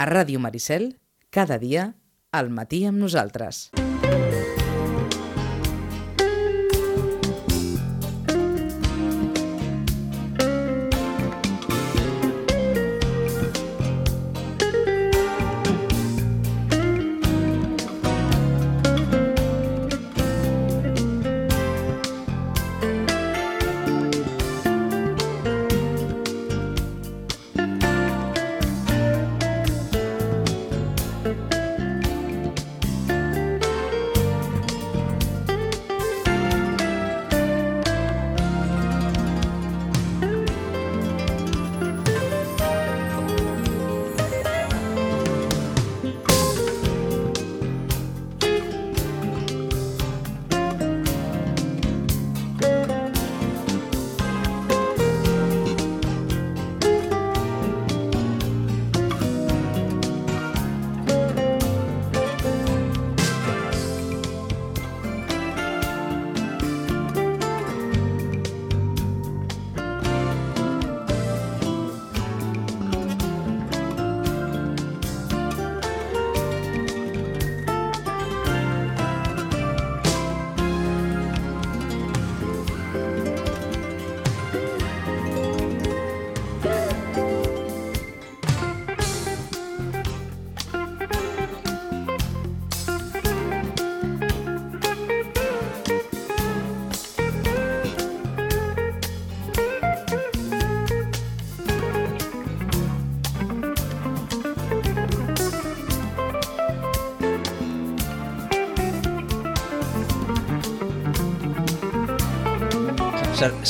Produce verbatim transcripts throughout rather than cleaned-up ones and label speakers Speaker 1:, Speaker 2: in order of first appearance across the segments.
Speaker 1: A Ràdio Maricel, cada dia, al matí amb nosaltres.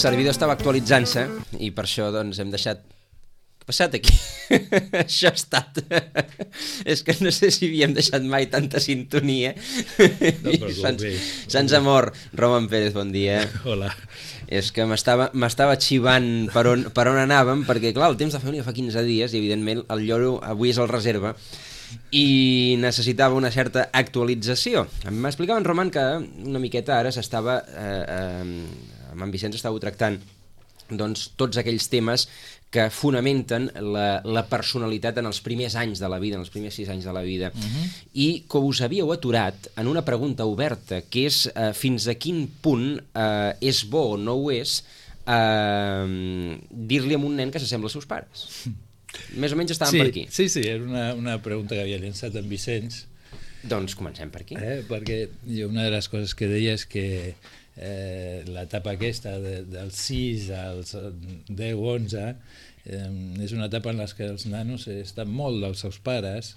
Speaker 2: Servidor estava actualitzant-se i per això doncs hem deixat... Què ha passat aquí? Això ha estat... És que no sé si havíem deixat mai tanta sintonia. No, se'ns, se'ns ha mort. Roman Pérez, bon dia.
Speaker 3: Hola.
Speaker 2: És que m'estava m'estava xivant per on, per on anàvem, perquè clar, el temps de família fa quinze dies i evidentment el lloro avui és el reserva i necessitava una certa actualització. M'explicava en Roman que una miqueta ara s'estava... Eh, eh, amb en Vicenç estàveu tractant doncs, tots aquells temes que fonamenten la, la personalitat en els primers anys de la vida, en els primers sis anys de la vida, uh-huh. i que us havíeu aturat en una pregunta oberta, que és eh, fins a quin punt eh, és bo o no ho és eh, dir-li a un nen que s'assembla als seus pares. Més o menys estàvem
Speaker 3: sí,
Speaker 2: per aquí.
Speaker 3: Sí, sí, era una, una pregunta que havia llançat en Vicenç.
Speaker 2: Doncs comencem per aquí.
Speaker 3: Eh, perquè jo una de les coses que deia és que Eh, l'etapa aquesta de, dels sis als deu onze eh, és una etapa en què els nanos estan molt dels seus pares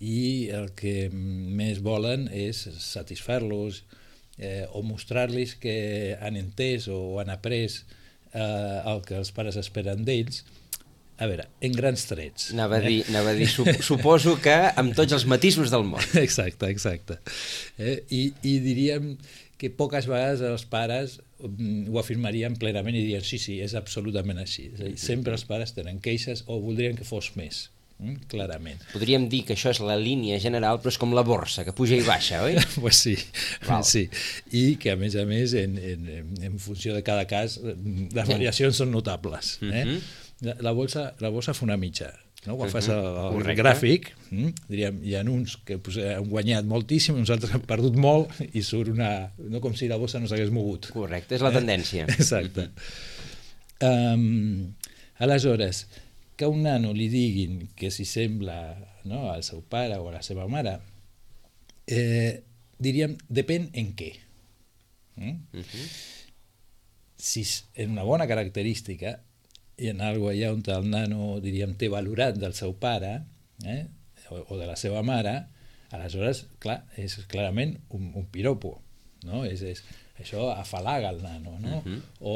Speaker 3: i el que més volen és satisfer-los eh, o mostrar-los que han entès o han après eh, el que els pares esperen d'ells. A veure, en grans trets.
Speaker 2: Anava a dir, eh? anava a dir sup suposo que amb tots els matisos del món.
Speaker 3: Exacte, exacte. Eh, i, I diríem que poques vegades els pares ho afirmarien plenament i dirien sí, sí, és absolutament així. És a dir, sempre els pares tenen queixes o voldrien que fos més, mm? clarament.
Speaker 2: Podríem dir que això és la línia general, però és com la borsa, que puja i baixa, oi?
Speaker 3: Pues sí, sí. I que a més a més, en, en, en funció de cada cas, les variacions són notables. Eh? La, la, bolsa, la bolsa fa una mitja. No? Quan uh -huh. fas el, el gràfic, hm, diríem, hi ha uns que pues, han guanyat moltíssim, uns altres han perdut molt i surt una... no com si la bossa no s'hagués mogut.
Speaker 2: Correcte, és la tendència.
Speaker 3: Eh? Exacte. Uh -huh. um, aleshores, que a un nano li diguin que s'hi sembla, no, al seu pare o a la seva mare, eh, diríem, depèn en què. Mm? Uh -huh. Si és en una bona característica, i en algo allà on el nano, diríem, té valorat del seu pare eh, o, o de la seva mare, aleshores, clar, és clarament un, un piropo, no? És, és, això afalaga el nano, no? Uh-huh. O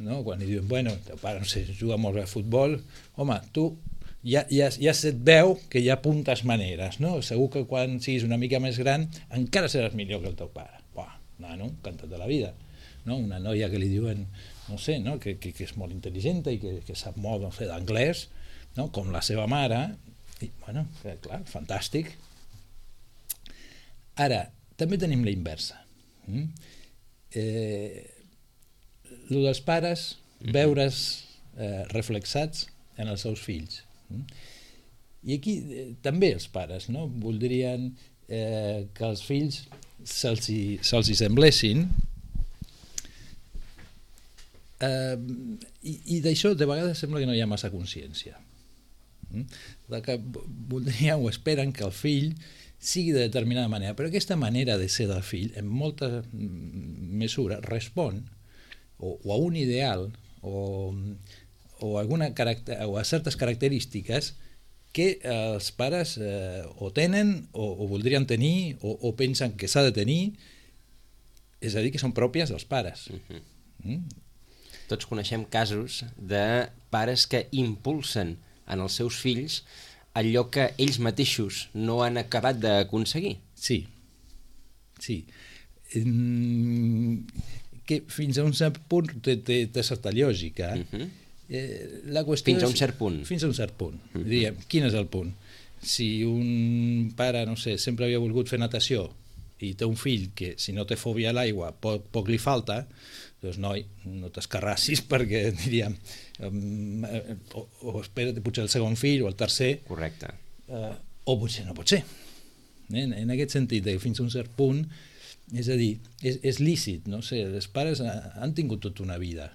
Speaker 3: no? Quan li diuen, bueno, teu pare, no sé, juga molt bé a futbol, home, tu ja, ja, ja se't veu que hi ha puntes maneres, no? Segur que quan siguis una mica més gran encara seràs millor que el teu pare. Buah, nano, encantat de la vida, no? Una noia que li diuen no sé, no? que, que, que és molt intel·ligent i que, que sap molt, no sé, d'anglès, no? Com la seva mare, i, bueno, clar, fantàstic. Ara, també tenim la inversa. Mm? Eh, el dels pares, veure's eh, reflexats en els seus fills. Mm? I aquí eh, també els pares, no? Voldrien eh, que els fills se'ls hi, se'ls hi semblessin, eh, i, i d'això de vegades sembla que no hi ha massa consciència. Mm? De que voldrien o esperen que el fill sigui de determinada manera, però aquesta manera de ser del fill en molta mesura respon o, o a un ideal o, o, alguna caracter, o a certes característiques que els pares eh, o tenen o, o voldrien tenir o, o pensen que s'ha de tenir, és a dir, que són pròpies dels pares.
Speaker 2: Uh-huh.
Speaker 3: Mm?
Speaker 2: Tots coneixem casos de pares que impulsen en els seus fills allò que ells mateixos no han acabat d'aconseguir.
Speaker 3: Sí, sí. Que fins a un cert punt té, té, té certa lògica.
Speaker 2: Uh-huh.
Speaker 3: eh, la qüestió
Speaker 2: Fins a
Speaker 3: és,
Speaker 2: un cert punt.
Speaker 3: Fins a un cert punt.
Speaker 2: Uh-huh.
Speaker 3: Diríem, quin és el punt? Si un pare, no sé, sempre havia volgut fer natació i té un fill que, si no té fòbia a l'aigua, poc, poc li falta, doncs, noi, no t'escarrassis perquè, diríem, um, o, o espera't potser el segon fill o el tercer.
Speaker 2: Correcte.
Speaker 3: Uh, o potser no pot ser. En, en aquest sentit, que fins a un cert punt, és a dir, és, és lícit, no sé, els pares han tingut tota una vida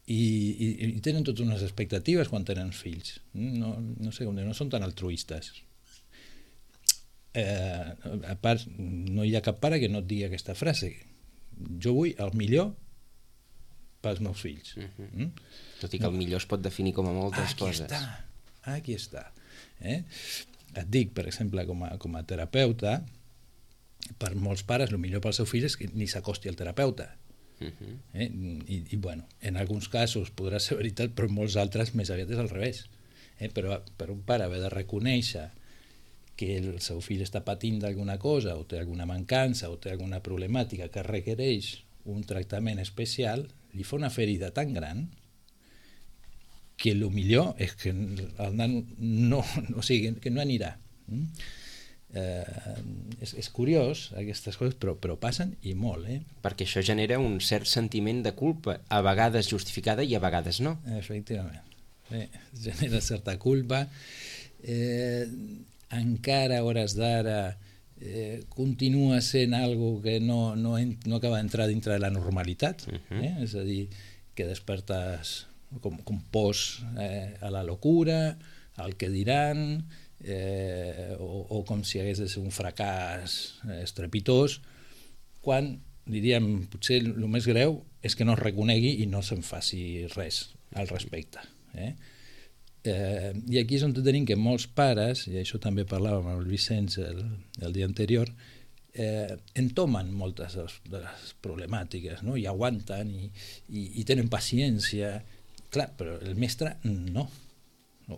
Speaker 3: i, i, i tenen totes unes expectatives quan tenen fills. No, no sé, no són tan altruistes. Eh, a part, no hi ha cap pare que no et digui aquesta frase: jo vull el millor pels meus fills.
Speaker 2: Uh-huh.
Speaker 3: Mm?
Speaker 2: Tot i que el millor es pot definir com a moltes
Speaker 3: aquí
Speaker 2: coses.
Speaker 3: Està, aquí està. Eh? Et dic, per exemple, com a, com a terapeuta, per molts pares el millor pel seu fill és que ni s'acosti al terapeuta. Uh-huh. eh? I, i bueno, en alguns casos podrà ser veritat, però en molts altres més aviat és al revés. Eh? Però per un pare haver de reconèixer que el seu fill està patint d'alguna cosa o té alguna mancança o té alguna problemàtica que requereix un tractament especial, li fa una ferida tan gran que el millor és que el nano no, no, o sigui, que no anirà. Mm? Eh, és, és curiós aquestes coses, però, però passen i molt. Eh?
Speaker 2: Perquè això genera un cert sentiment de culpa, a vegades justificada i a vegades no.
Speaker 3: Efectivament. Eh, genera certa culpa. Eh, encara a hores d'ara eh, continua sent algo que no, no, no acaba d'entrar dintre de la normalitat. Uh-huh. eh? És a dir, que despertes com, com pors eh, a la locura, al que diran, eh, o, o com si hagués de ser un fracàs eh, estrepitós, quan, diríem, potser el més greu és que no es reconegui i no se'n faci res al respecte. Eh? Eh, I aquí és on tenim que molts pares, i això també parlàvem amb el Vicenç el, el dia anterior, eh, entomen moltes de les, de les problemàtiques, no? I aguanten i, i, i tenen paciència. Clar, però el mestre no.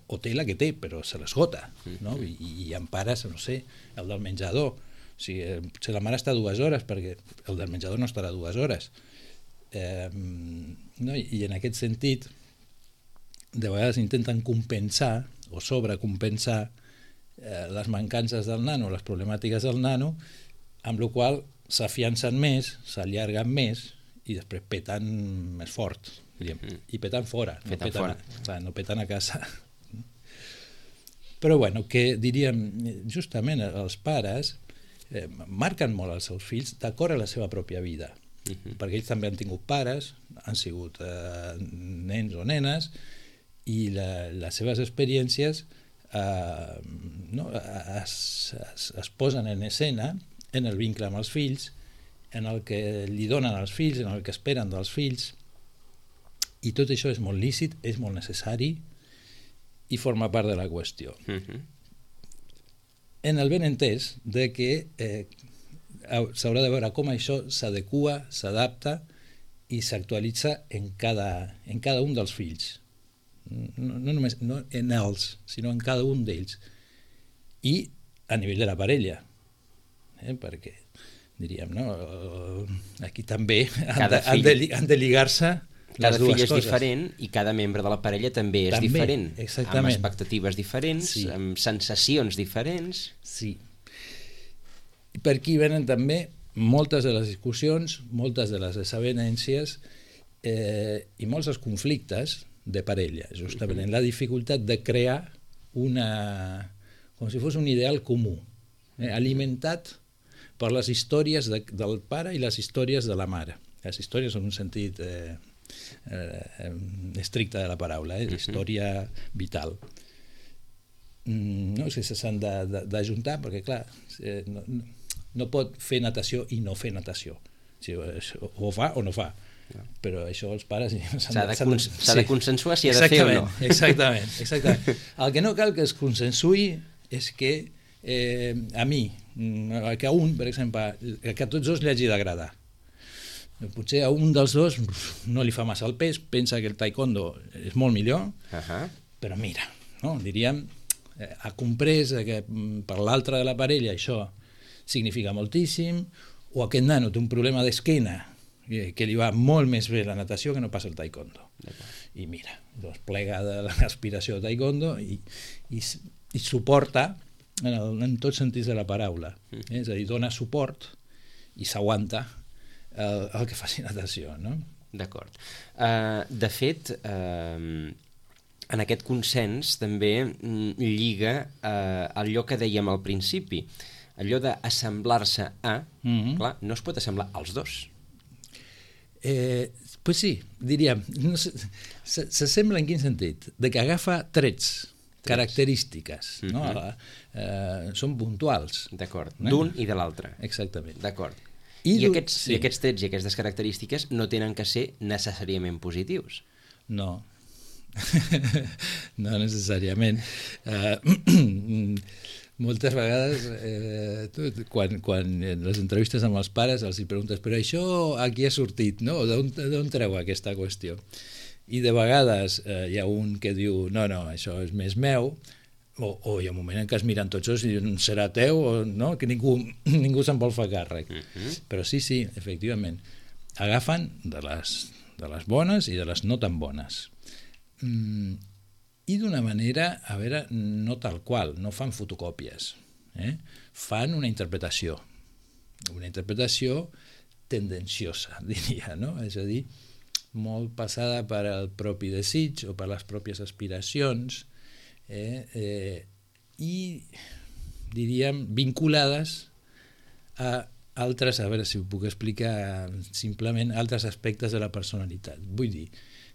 Speaker 3: O té la que té, però se l'esgota. No? I, i hi ha pares, no sé, el del menjador. O sigui, potser la mare està dues hores perquè el del menjador no estarà dues hores. Eh, no? I en aquest sentit, de vegades intenten compensar o sobrecompensar eh, les mancances del nano, les problemàtiques del nano, amb la qual s'afiancen més, s'allarguen més i després peten més fort. Diríem. I peten fora, no
Speaker 2: peten,
Speaker 3: peten,
Speaker 2: fora.
Speaker 3: A, clar, no peten a casa. Però bueno, que diríem, justament els pares eh, marquen molt els seus fills d'acord a la seva pròpia vida. Uh-huh. Perquè ells també han tingut pares, han sigut eh, nens o nenes, i la, les seves experiències eh, no, es, es, es posen en escena en el vincle amb els fills, en el que li donen als fills, en el que esperen dels fills, i tot això és molt lícit, és molt necessari i forma part de la qüestió. Uh-huh. En el ben entès de que eh, s'haurà de veure com això s'adequa, s'adapta i s'actualitza en cada, en cada un dels fills. No, no només no en els, sinó en cada un d'ells. I a nivell de la parella. Eh? Perquè, diríem, no? Aquí també han de, han de, han de lligar-se
Speaker 2: cada fill és
Speaker 3: coses.
Speaker 2: diferent i cada membre de la parella també és també, diferent,
Speaker 3: exactament.
Speaker 2: Amb expectatives diferents, sí. Amb sensacions diferents.
Speaker 3: Sí. I per aquí venen també moltes de les discussions, moltes de les desavenències eh, i molts dels conflictes de parella, justament uh-huh. en la dificultat de crear una, com si fos un ideal comú, eh, alimentat per les històries de, del pare i les històries de la mare. Les històries en un sentit eh, eh, estricte de la paraula, eh, història vital. Mm, no, és que s'han d'ajuntar, perquè clar, eh, no, no pot fer natació i no fer natació. O fa o no fa. Però això els pares
Speaker 2: s'ha de, de, sí. de consensuar si ha de fer o no.
Speaker 3: Exactament, exactament. El que no cal que es consensui és que eh, a mi, que a un, per exemple, que a tots dos li hagi d'agradar. Potser a un dels dos no li fa massa el pes, pensa que el taekwondo és molt millor, uh-huh. però mira, no? Diríem, ha comprès que per l'altre de la parella això significa moltíssim, o aquest nano té un problema d'esquena que li va molt més bé la natació que no pas el taekwondo. I mira, doncs plega de l'aspiració de taekwondo i, i, i suporta en, el, en tots sentits de la paraula. Eh? És a dir, dona suport i s'aguanta el, el que faci natació. No?
Speaker 2: D'acord. Uh, de fet, uh, en aquest consens també lliga uh, allò que dèiem al principi, allò d'assemblar-se a, mm-hmm. clar, no es pot assemblar als dos.
Speaker 3: Eh, pues sí, diríem, no sé, s'assembla en quin sentit? De que agafa trets, trets. característiques, mm-hmm. no? eh, són puntuals.
Speaker 2: D'acord, eh? D'un i de l'altre.
Speaker 3: Exactament.
Speaker 2: D'acord. I, I, aquests, sí. I aquests trets i aquestes característiques no tenen que ser necessàriament positius.
Speaker 3: No, no necessàriament. Uh, moltes vegades eh, quan, quan en les entrevistes amb els pares els hi preguntes però això a qui ha sortit, no? D'on treu aquesta qüestió? I de vegades eh, hi ha un que diu no, no, això és més meu, o, o hi ha un moment en què es miren tots dos i diuen serà teu, o no? Que ningú, ningú se'n vol fer càrrec. Uh-huh. Però sí, sí, efectivament, agafen de les, de les bones i de les no tan bones. Mm, i d'una manera, a veure, no tal qual, no fan fotocòpies, eh? Fan una interpretació, una interpretació tendenciosa, diria, no? És a dir, molt passada per al propi desig o per les pròpies aspiracions, eh? Eh, i, diríem, vinculades a altres, a veure si ho puc explicar simplement, altres aspectes de la personalitat. Vull dir,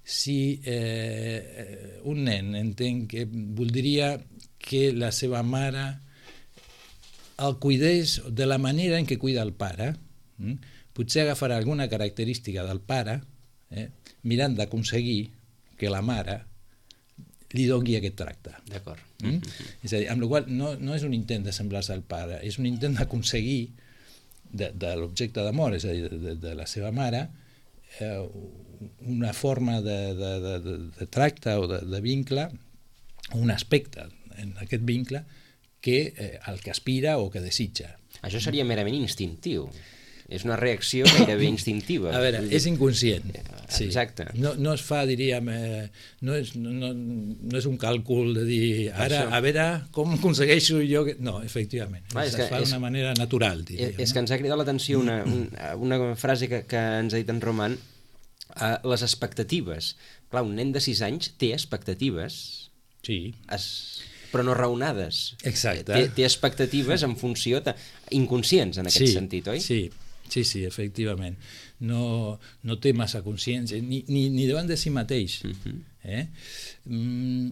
Speaker 3: si eh, un nen entén que voldria que la seva mare el cuidés de la manera en què cuida el pare, hm? potser agafarà alguna característica del pare, eh, mirant d'aconseguir que la mare li doni aquest tracte.
Speaker 2: D'acord.
Speaker 3: Hm? Mm-hmm. És a dir, amb la qual no, no és un intent de semblar-se al pare, és un intent d'aconseguir de, de l'objecte d'amor, és a dir, de, de la seva mare, eh, una forma de, de, de, de tracte o de, de vincle, un aspecte en aquest vincle que eh, el que aspira o que desitja.
Speaker 2: Això seria merament instintiu. És una reacció gairebé instintiva.
Speaker 3: A veure, és inconscient. Sí.
Speaker 2: Exacte.
Speaker 3: No, no es fa, diríem, eh, no, és, no, no és un càlcul de dir ara, a veure com aconsegueixo jo... Que... No, efectivament. Clar, es, es fa d'una manera natural, diria.
Speaker 2: És, és que ens ha cridat l'atenció una, una, una frase que, que ens ha dit en Roman, uh, les expectatives. Clar, un nen de sis anys té expectatives,
Speaker 3: sí.
Speaker 2: es, però no raonades.
Speaker 3: Exacte.
Speaker 2: Té, té expectatives en funció de, inconscients en aquest
Speaker 3: sí,
Speaker 2: sentit, oi?
Speaker 3: Sí, sí, sí, efectivament. No, no té massa consciència, ni, ni, ni davant de si mateix. Uh-huh. eh? mm,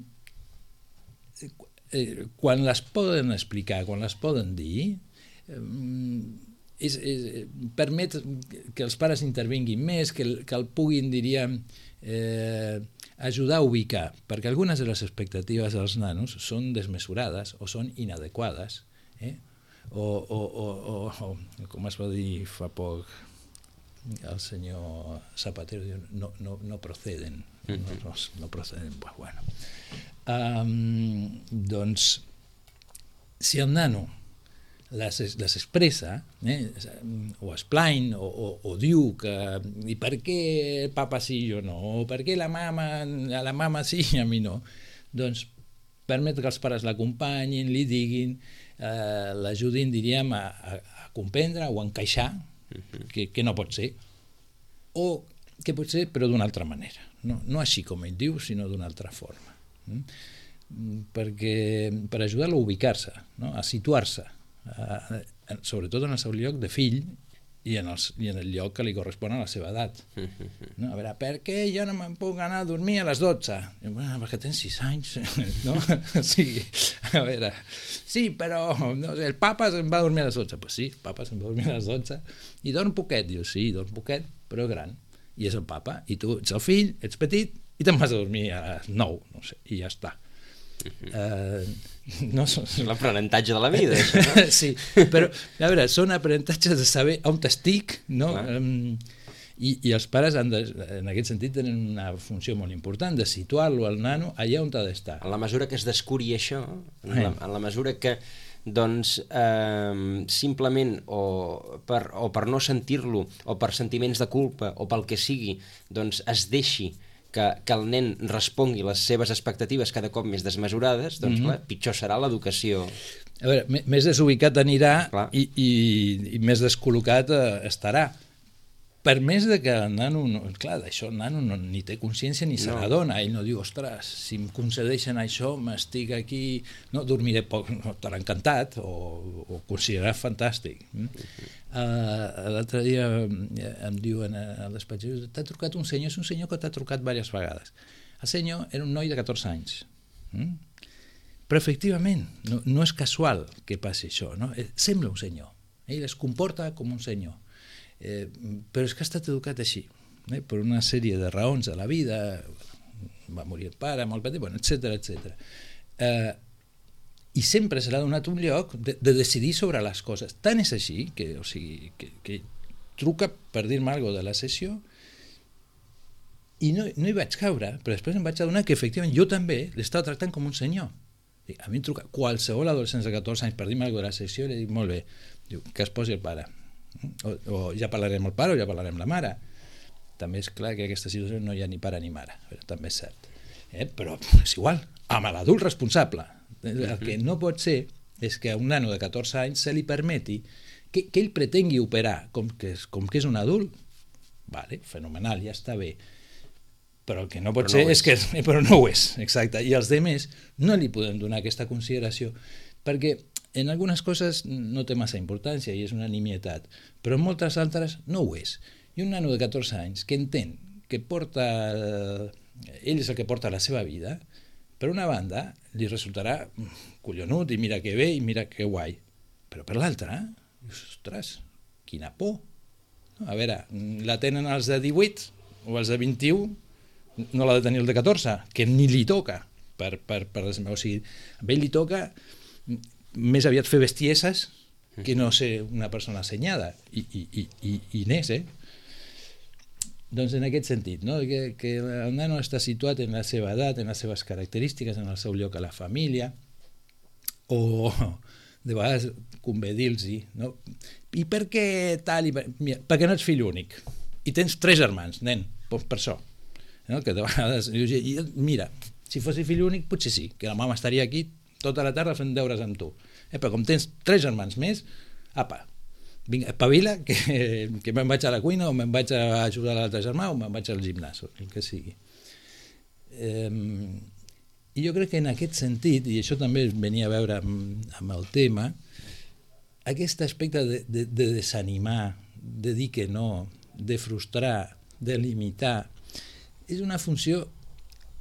Speaker 3: quan les poden explicar, quan les poden dir, mm, és, és, permet que els pares intervinguin més, que el, que el puguin, diríem, eh, ajudar a ubicar, perquè algunes de les expectatives dels nanos són desmesurades o són inadequades, eh? o, o, o, o, o com es va dir fa poc el senyor Zapatero, diu, no, no, no proceden, no, no, no proceden. Bueno. Um, doncs, si el nano les, les expressa, eh, o explain, o, o, o diu que i per què el papa sí i jo no, o per què la mama, a la mama sí i a mi no, doncs permet que els pares l'acompanyin, li diguin, eh, l'ajudin, diríem, a, a, a comprendre o a encaixar que, que no pot ser, o que pot ser però d'una altra manera, no, no així com ell diu, sinó d'una altra forma. perquè, per ajudar-lo a ubicar-se, no? A situar-se, a, a, sobretot en el seu lloc de fill i en, els, i en el lloc que li correspon a la seva edat. No? A veure, per què jo no me'n puc anar a dormir a les dotze? I, bueno, perquè tens sis anys, no? O sigui, a veure, sí, però no sé, el papa se'n va a dormir a les dotze. Pues sí, el papa se'n va a dormir a les dotze. I dorm poquet? Diu, sí, dorm poquet, però gran. I és el papa. I tu ets el fill, ets petit, i te'n vas a dormir a les nou, no sé, i ja està. Uh, no so...
Speaker 2: L'aprenentatge de la vida, això, no?
Speaker 3: Sí, però a veure, són aprenentatges de saber on estic, no? Um, i, i els pares han de, en aquest sentit tenen una funció molt important de situar-lo al nano allà on ha d'estar.
Speaker 2: En la mesura que es descuri això, en la, en la mesura que doncs eh, simplement o per, o per no sentir-lo o per sentiments de culpa o pel que sigui, doncs es deixi que, que el nen respongui les seves expectatives cada cop més desmesurades, doncs mm-hmm. clar, pitjor serà l'educació.
Speaker 3: A veure, més desubicat anirà i, i, i més descol·locat eh, estarà. Per més de que el nano, no, clar, d'això el nano no, ni té consciència ni se n'adona, no. Ell no diu, ostres, si em concedeixen això, m'estic aquí, no, dormiré poc, no, estarà encantat o, o considerarà fantàstic. Uh-huh. Uh, l'altre dia em diuen al despatx, t'ha trucat un senyor, és un senyor que t'ha trucat diverses vegades. El senyor era un noi de catorze anys. Mm? Però efectivament, no, no és casual que passi això, no? Sembla un senyor, ell es comporta com un senyor. Eh, però és que ha estat educat així, eh, per una sèrie de raons de la vida, va morir el pare molt petit, bueno, etcètera, etcètera. Eh, i sempre se l'ha donat un lloc de, de decidir sobre les coses. Tant és així que, o sigui, que, que truca per dir-me alguna cosa de la sessió i no, no hi vaig caure, però després em vaig adonar que efectivament jo també l'estava tractant com un senyor. A mi em truca qualsevol adolescent de catorze anys per dir-me alguna cosa de la sessió i li dic, molt bé, diu, que es posi el pare. O, o ja parlarem el pare o ja parlarem la mare. També és clar que en aquesta situació no hi ha ni pare ni mare, però també és cert, eh? Però és igual, amb l'adult responsable. El que no pot ser és que a un nano de catorze anys se li permeti que, que ell pretengui operar com que és, com que és un adult. Vale, fenomenal, ja està bé, però el que no pot però ser no és. és que però no ho és, exacte, i els demés no li podem donar aquesta consideració perquè en algunes coses no té massa importància i és una nimietat, però en moltes altres no ho és. I un nano de catorze anys que entén que porta, ell és el que porta la seva vida, per una banda li resultarà collonut i mira que bé i mira que guai, però per l'altra, ostres, quina por. A veure, la tenen els de divuit o els de vint-i-u, no l'ha de tenir el de catorze, que ni li toca, per, per, per, o sigui, a ell li toca més aviat fer bestieses que no ser una persona assenyada i, i, i, i, i n'és, eh? Doncs en aquest sentit, no? que, que el nano està situat en la seva edat, en les seves característiques, en el seu lloc a la família, o de vegades convé dir-los, no? I per què tal? I per... Mira, perquè no ets fill únic i tens tres germans, nen, doncs per això, no? Que de vegades mira, si fossis fill únic potser sí, que la mama estaria aquí tota la tarda fent deures amb tu, eh, però com tens tres germans més, apa, vinga, espavila, que, que me'n vaig a la cuina o me'n vaig a ajudar a l'altre germà o me'n vaig al gimnàs, el que sigui. Eh, I jo crec que en aquest sentit, i això també venia a veure amb, amb el tema, aquest aspecte de, de, de desanimar, de dir que no, de frustrar, de limitar, és una funció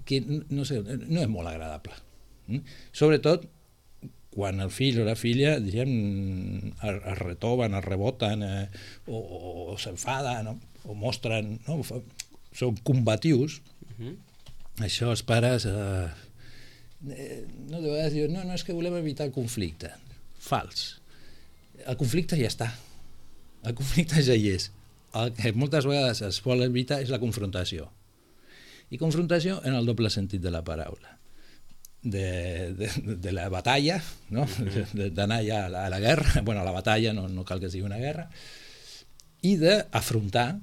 Speaker 3: que no sé, no és molt agradable. Sobretot quan el fill o la filla diguem, es retoven, es reboten eh, o, o, o s'enfaden no? O mostren, no? Són combatius. Uh-huh. Això els pares eh, no, de vegades diuen no, no és que volem evitar el conflicte. Fals. El conflicte ja està. El conflicte ja hi és. El que moltes vegades es vol evitar és la confrontació. I confrontació en el doble sentit de la paraula. De, de, de la batalla, no? D'anar ja a la, a la guerra, bueno, a la batalla, no, no cal que sigui una guerra, i d'afrontar,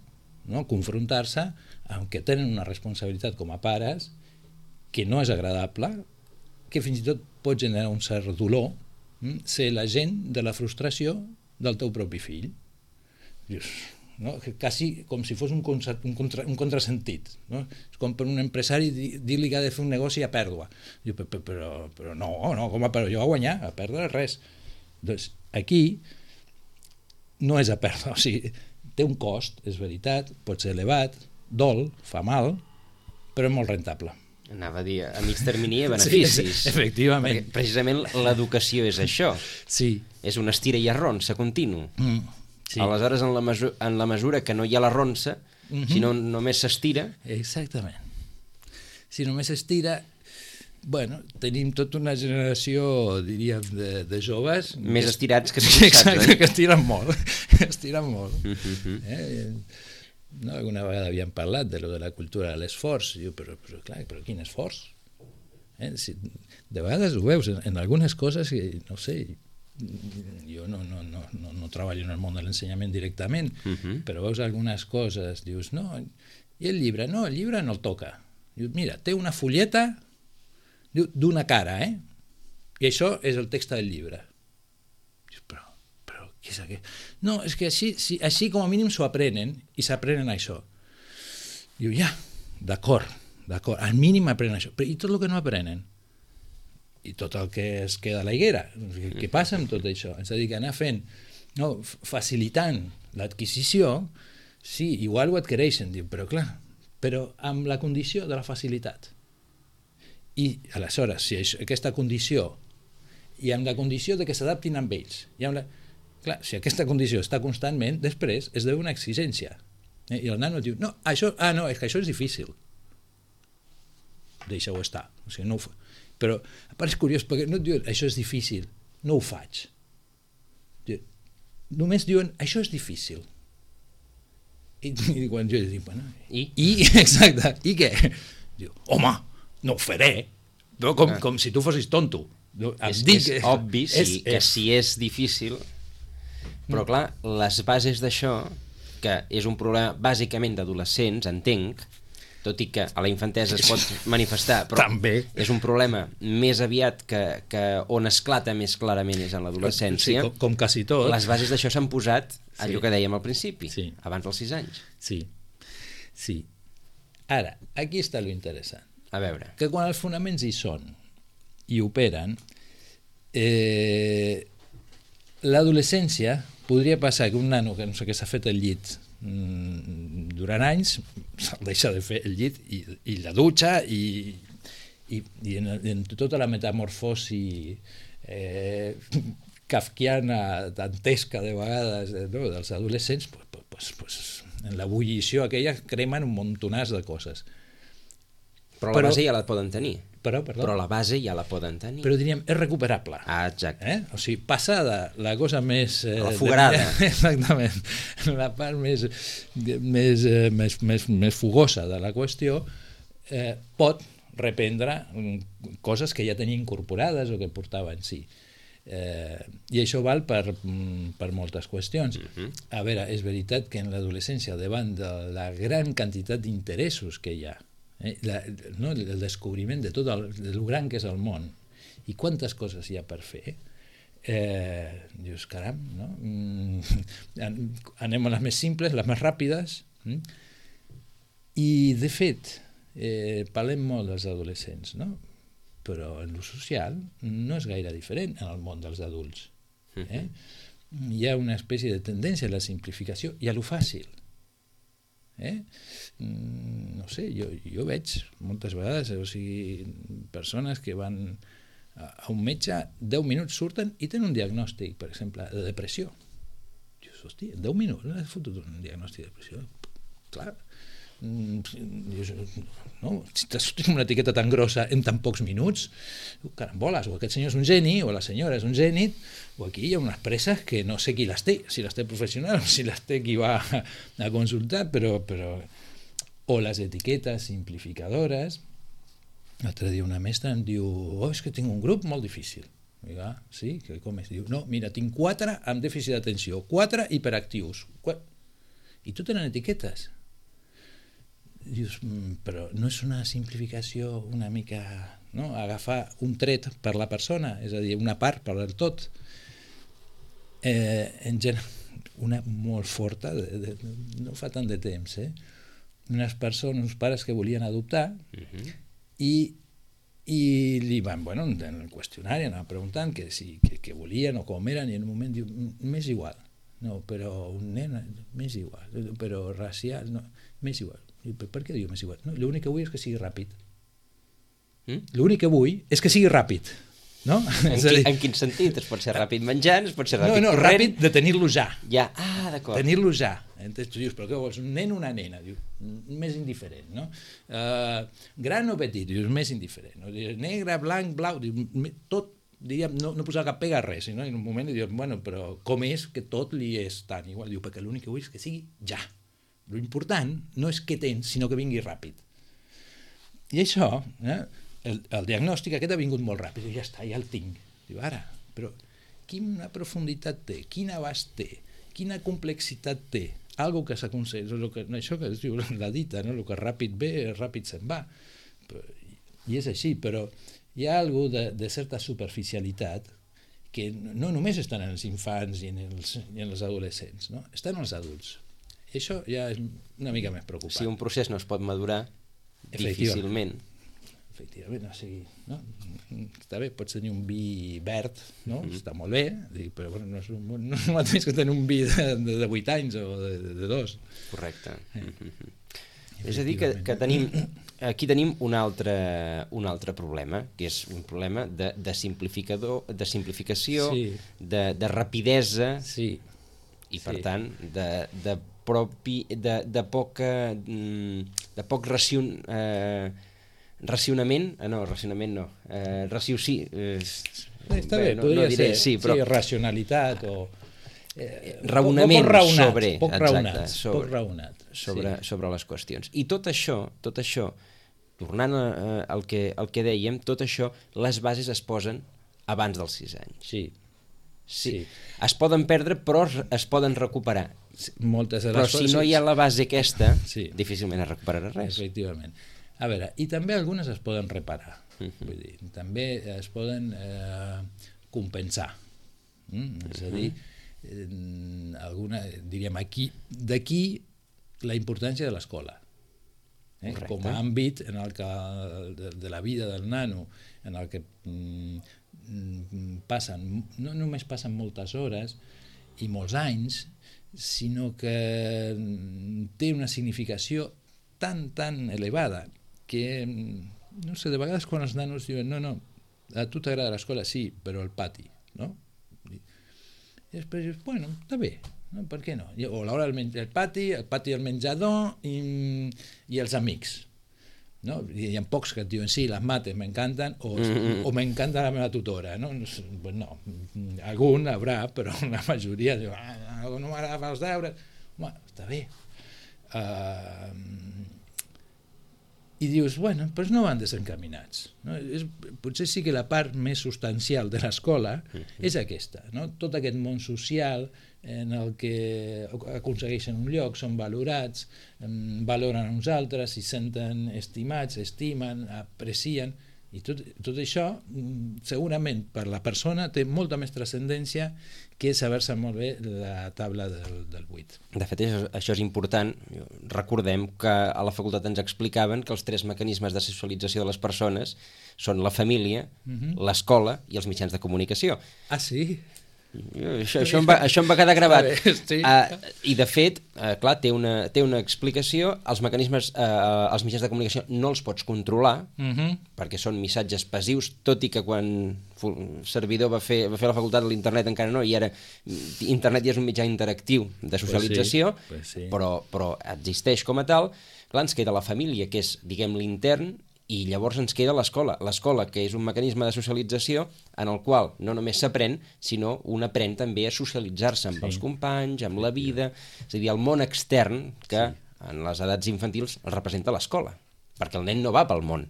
Speaker 3: no? Confrontar-se amb que tenen una responsabilitat com a pares que no és agradable, que fins i tot pot generar un cert dolor, hm? Ser l'agent de la frustració del teu propi fill. Dius, no? Quasi com si fos un, contra, un, contra, un contrasentit, no? És com per un empresari dir-li que ha de fer un negoci a pèrdua. Diu, però, però, però no, no, com a pèrdua? Jo a guanyar, a perdre res. Doncs aquí no és a perdre, o sigui, té un cost, és veritat, pot ser elevat, dol, fa mal, però és molt rentable.
Speaker 2: Anava a dir, a mig termini hi ha beneficis.
Speaker 3: Sí, efectivament.
Speaker 2: Perquè precisament l'educació és això.
Speaker 3: Sí.
Speaker 2: És un estira i arronsa continu.
Speaker 3: Mm, sí.
Speaker 2: Aleshores, en la, mesura, en la mesura que no hi ha l'arronsa, mm-hmm. si no només s'estira...
Speaker 3: Exactament. Si només s'estira, bueno, tenim tota una generació, diríem, de, de joves...
Speaker 2: Més
Speaker 3: que
Speaker 2: estirats que
Speaker 3: estirats,
Speaker 2: estirats,
Speaker 3: exacte,
Speaker 2: oi?
Speaker 3: que estiren molt. Estiren molt.
Speaker 2: Mm-hmm.
Speaker 3: Eh? No, alguna vegada havíem parlat de lo de la cultura de l'esforç, però, però clar, però quin esforç? Eh? Si, de vegades ho veus en, en algunes coses que, no sé, jo no, no, no, no, no treballo en el món de l'ensenyament directament, uh-huh. però veus algunes coses, dius, no, i el llibre? No, el llibre no el toca. Dius, mira, té una fulleta d'una cara, eh? I això és el text del llibre. Dius, però què és aquest? No, és que així, si, així com a mínim s'ho aprenen, i s'aprenen això. Diu, ja, d'acord, d'acord, al mínim aprenen això, però i tot el que no aprenen? I tot el que es queda a la higuera? Què, què passa amb tot això? És a dir, que anar fent, no, facilitant l'adquisició, sí, igual ho adquireixen, diu, però clar, però amb la condició de la facilitat. I aleshores, si això, aquesta condició, i amb la condició de que s'adaptin amb ells, i amb la... Clar, si aquesta condició està constantment, després es deu una exigència. Eh? I el nano diu, no, això, ah, no, és que això és difícil. Deixa-ho estar. O sigui, no ho fa. Però, a part és curiós, perquè no et diuen, això és difícil, no ho faig. Diu, només diuen, això és difícil. I, i quan jo dic, bueno,
Speaker 2: I?
Speaker 3: I, exacte, i què? Diu, home, no ho faré. Però com, ah. com si tu fossis tonto.
Speaker 2: És, dic, és obvi sí, és, que és... si és difícil... Però clar, les bases d'això, que és un problema bàsicament d'adolescents, entenc, tot i que a la infantesa es pot manifestar, però
Speaker 3: també
Speaker 2: és un problema més aviat que, que on esclata més clarament és en l'adolescència.
Speaker 3: Sí, com, com quasi tot.
Speaker 2: Les bases d'això s'han posat, allò
Speaker 3: sí.
Speaker 2: que dèiem al principi,
Speaker 3: sí.
Speaker 2: abans dels sis anys.
Speaker 3: Sí, sí. Ara, aquí està lo interessant.
Speaker 2: A veure.
Speaker 3: Que quan els fonaments hi són i operen, eh, l'adolescència podria passar que un nano que no sé què s'ha fet el llit mmm, durant anys se'l deixa de fer el llit i, i la dutxa i, i, i en, en tota la metamorfosi eh, kafkiana, dantesca de vegades eh, no, dels adolescents, pues, pues, pues, en l'ebullició aquella cremen un montonàs de coses.
Speaker 2: Però la però, base ja la poden tenir.
Speaker 3: Però, perdó,
Speaker 2: però la base ja la poden tenir.
Speaker 3: Però diríem, és recuperable.
Speaker 2: Ah, exacte.
Speaker 3: Eh? O sigui, passada la cosa més... Eh,
Speaker 2: la fugarada.
Speaker 3: De, exactament. La part més, més, eh, més, més, més fugosa de la qüestió eh, pot reprendre coses que ja tenia incorporades o que portava en si. Eh, I això val per, per moltes qüestions. Uh-huh. A veure, és veritat que en l'adolescència, davant de la gran quantitat d'interessos que hi ha, Eh, la, no, el descobriment de tot el, de lo gran que és el món i quantes coses hi ha per fer, eh, dius, caram, no? Mm, anem a les més simples, les més ràpides, mm? I de fet eh, parlem molt dels adolescents, no? Però en lo social no és gaire diferent en el món dels adults, eh? Hi ha una espècie de tendència a la simplificació i a lo fàcil. Eh? No sé, jo, jo veig moltes vegades, o sigui, persones que van a un metge, deu minuts surten i tenen un diagnòstic, per exemple, de depressió. Dius, hòstia, deu minuts, no has fotut un diagnòstic de depressió? Clar, no? Si t'has sortit una etiqueta tan grossa en tan pocs minuts, caramboles, o aquest senyor és un geni o la senyora és un geni, o aquí hi ha unes presses que no sé qui les té, si les té professional o si les té qui va a consultar, però, però... o les etiquetes simplificadores. L'altre dia una mestra em diu, oh, és que tinc un grup molt difícil. Dic, ah, sí? Que com és? Diu, no, mira, tinc quatre amb dèficit d'atenció, quatre hiperactius, i tot tenen etiquetes. Dius, però no és una simplificació una mica, no? Agafar un tret per la persona, és a dir, una part per el tot. Eh, en gen... una molt forta, de, de, no fa tant de temps, eh? Unes persones, uns pares que volien adoptar uh-huh. i, i li van, bueno, en el qüestionari anaven preguntant que, si, que, que volien o com eren, i en un moment diu, m'és igual, no, però un nen, m'és igual, però racial, no, m'és igual. I, per què diu m'és igual? No, l'únic que vull és que sigui ràpid. Mm? L'únic que vull és que sigui ràpid. No?
Speaker 2: En, qui, en quin sentit? Es pot ser ràpid menjant, es pot ser ràpid
Speaker 3: corrent? No, no,
Speaker 2: corrent.
Speaker 3: ràpid de tenir-lo ja.
Speaker 2: Ja, ah, d'acord.
Speaker 3: Tenir-lo ja. Entonces tu dius, però què vols, un nen o una nena? Diu, més indiferent, no? Uh, gran o petit? Dius, més indiferent. No? Dius, negre, blanc, blau, diu, tot, diríem, no, no posar cap pega a res, no? En un moment dius, bueno, però com és que tot li és tan igual? Diu, perquè l'únic que vull és que sigui ja. Lo important no és què tens, sinó que vingui ràpid. I això, eh? El, el diagnòstic aquest ha vingut molt ràpid, ja està, ja el tinc. Diu, ara, però quina profunditat té, quin abast té, quina complexitat té, algo que s'aconsegueix, això que es diu la dita, no? El que ràpid ve, ràpid se'n va. I és així, però hi ha algo de, de certa superficialitat que no només estan en els infants i en els, i en els adolescents, no? Estan en els adults. I això ja és una mica més preocupant.
Speaker 2: Si un procés no es pot madurar, difícilment.
Speaker 3: Efectivament, o sigui, no? Està bé, pots tenir un vi verd, no? Mm-hmm. Està molt bé, però bueno, no és un, no és el mateix que tenir un vi de, de, de vuit anys o de, de dos.
Speaker 2: Correcte. Eh. Mm-hmm. És a dir, que, que tenim, aquí tenim un altre, un altre problema, que és un problema de, de, simplificador, de simplificació, sí. de, de rapidesa,
Speaker 3: sí.
Speaker 2: i per
Speaker 3: sí.
Speaker 2: tant, de, de, propi, de, de poca... de poc racion... Eh, racionament, ah, no, racionament no, eh, raciocí... Eh,
Speaker 3: Està bé,
Speaker 2: bé, no,
Speaker 3: podria
Speaker 2: no diré,
Speaker 3: ser,
Speaker 2: sí, però...
Speaker 3: sí, racionalitat o...
Speaker 2: Eh, raonament
Speaker 3: poc raonat,
Speaker 2: sobre,
Speaker 3: poc
Speaker 2: exacte,
Speaker 3: raonat,
Speaker 2: sobre,
Speaker 3: poc raonat,
Speaker 2: sobre,
Speaker 3: sí.
Speaker 2: sobre les qüestions. I tot això, tot això, tornant a, a, al, que, al que dèiem, tot això, les bases es posen abans dels sis anys.
Speaker 3: Sí.
Speaker 2: Sí. sí. Es poden perdre, però es poden recuperar.
Speaker 3: Sí, moltes de les
Speaker 2: però si no hi ha la base aquesta, sí. difícilment es recuperarà res.
Speaker 3: Efectivament. A veure, i també algunes es poden reparar, uh-huh. vull dir, també es poden eh, compensar, mm? És a dir, eh, alguna, diríem, aquí, d'aquí la importància de l'escola, eh? Com a àmbit en el que, de, de la vida del nano, en el que mm, passen, no només passen moltes hores i molts anys, sinó que té una significació tan, tan elevada que, no sé, de vegades quan els nanos diuen no, no, a tu t'agrada l'escola, sí, però el pati, no? I després dius, bueno, està bé, no? Per què no? O l'hora del menjar, el pati, el pati del menjador i, i els amics, no? Hi ha pocs que et diuen, sí, les mates m'encanten, o, mm-hmm. o m'encanta la meva tutora, no? Pues no, algun haurà, però la majoria diu, ah, no m'agrada fer els deures, home, està bé. Uh, i dius, bueno, doncs no van desencaminats, no? És, potser sí que la part més substancial de l'escola mm-hmm. és aquesta, no? Tot aquest món social en el que aconsegueixen un lloc, són valorats, valoren uns altres, s'hi senten estimats, estimen, aprecien, i tot, tot això segurament per la persona té molta més transcendència que saber-se molt bé la taula del, del vuit.
Speaker 2: De fet, això, això és important. Recordem que a la facultat ens explicaven que els tres mecanismes de socialització de les persones són la família, uh-huh. l'escola i els mitjans de comunicació.
Speaker 3: Ah, sí?
Speaker 2: Això, això, em va, això em va quedar gravat.
Speaker 3: Bé, sí.
Speaker 2: uh, i de fet, uh, clar, té una, té una explicació. Els mecanismes, uh, els mitjans de comunicació no els pots controlar, uh-huh. perquè són missatges passius, tot i que quan el servidor va fer, va fer la facultat, l'internet encara no, i ara internet ja és un mitjà interactiu de socialització,
Speaker 3: pues sí, pues sí.
Speaker 2: però, però existeix com a tal. Clar, ens queda la família, que és, diguem, l'intern, i llavors ens queda l'escola. L'escola, que és un mecanisme de socialització en el qual no només s'aprèn, sinó un aprèn també a socialitzar-se amb sí. els companys, amb la vida, és a dir, el món extern que sí. en les edats infantils el representa l'escola, perquè el nen no va pel món.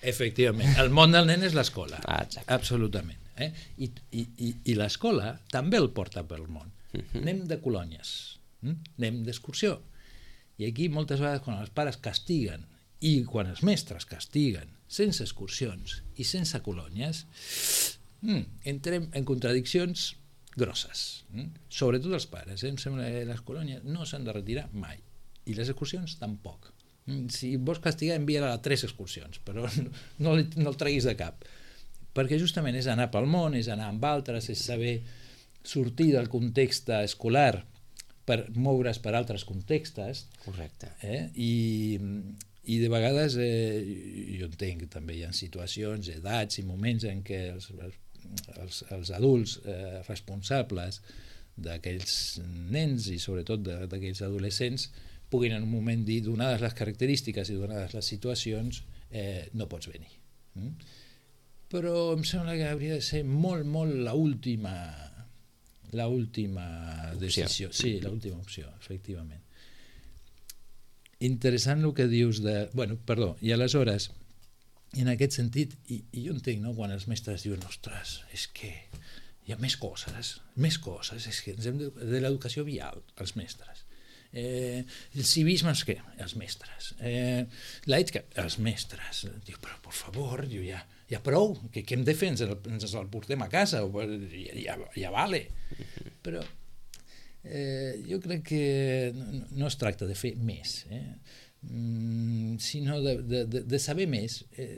Speaker 3: Efectivament, el món del nen és l'escola,
Speaker 2: ah,
Speaker 3: absolutament. Eh? I, i, i, I l'escola també el porta pel món. Uh-huh. Anem de colònies, hm? anem d'excursió. I aquí moltes vegades quan els pares castiguen i quan els mestres castiguen sense excursions i sense colònies, mm, entrem en contradiccions grosses, mm? Sobretot els pares, eh? Em sembla que les colònies no s'han de retirar mai, i les excursions tampoc. Si vols castigar, envia-la a tres excursions, però no, no el treguis de cap, perquè justament és anar pel món, és anar amb altres, és saber sortir del context escolar per moure's per altres contextos.
Speaker 2: Correcte.
Speaker 3: Eh? I, i de vegades eh, jo entenc que també hi ha situacions, edats i moments en què els, els, els adults eh, responsables d'aquells nens i sobretot d'aquells adolescents puguin en un moment dir, donades les característiques i donades les situacions, eh, no pots venir. Mm? Però em sembla que hauria de ser molt, molt l'última l'última decisió. Sí, l'última opció, efectivament. Interessant el que dius de... Bueno, perdó, i aleshores, en aquest sentit, i, i jo entenc, no?, quan els mestres diuen, ostres, és que hi ha més coses, més coses, és que ens hem de, de l'educació vial, els mestres. Eh, el civisme és què? Els mestres. Eh, l'ètica, els mestres. Diu, però per favor, diu, ja, ja prou, que què hem de fer? Ens el, ens el portem a casa, o, ja, ja vale. Però eh, jo crec que no, no es tracta de fer més, eh? mm, sinó de, de, de saber més eh,